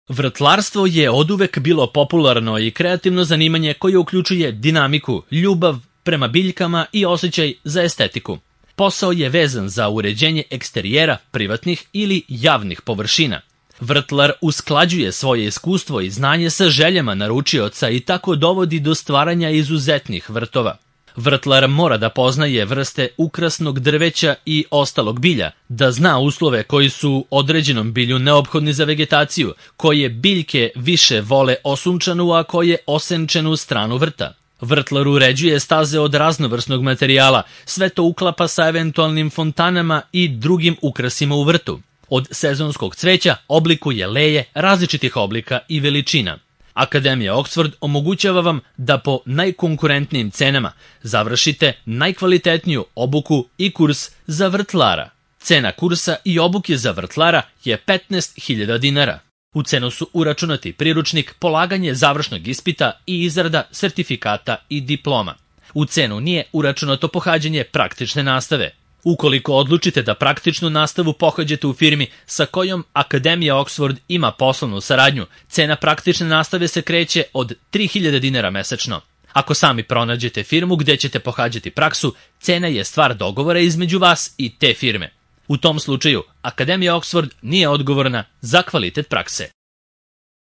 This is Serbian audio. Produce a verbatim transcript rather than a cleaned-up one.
Vrtlarstvo je oduvek bilo popularno i kreativno zanimanje koje uključuje dinamiku, ljubav prema biljkama i osjećaj za estetiku. Posao je vezan za uređenje eksterijera, privatnih ili javnih površina. Vrtlar usklađuje svoje iskustvo i znanje sa željama naručioca i tako dovodi do stvaranja izuzetnih vrtova. Vrtlar mora da poznaje vrste ukrasnog drveća i ostalog bilja, da zna uslove koji su određenom bilju neophodni za vegetaciju, koje biljke više vole osunčanu, a koje osenčenu stranu vrta. Vrtlar uređuje staze od raznovrsnog materijala, sve to uklapa sa eventualnim fontanama i drugim ukrasima u vrtu. Od sezonskog cveća oblikuje leje različitih oblika i veličina. Akademija Oxford omogućava vam da po najkonkurentnijim cenama završite najkvalitetniju obuku i kurs za vrtlara. Cena kursa i obuke za vrtlara je petnaest hiljada dinara. U cenu su uračunati priručnik, polaganje završnog ispita i izrada sertifikata i diploma. U cenu nije uračunato pohađanje praktične nastave. Ukoliko odlučite da praktičnu nastavu pohađate u firmi sa kojom Akademija Oxford ima poslovnu saradnju, cena praktične nastave se kreće od tri hiljade dinara mesečno. Ako sami pronađete firmu gdje ćete pohađati praksu, cena je stvar dogovora između vas i te firme. U tom slučaju, Akademija Oxford nije odgovorna za kvalitet prakse.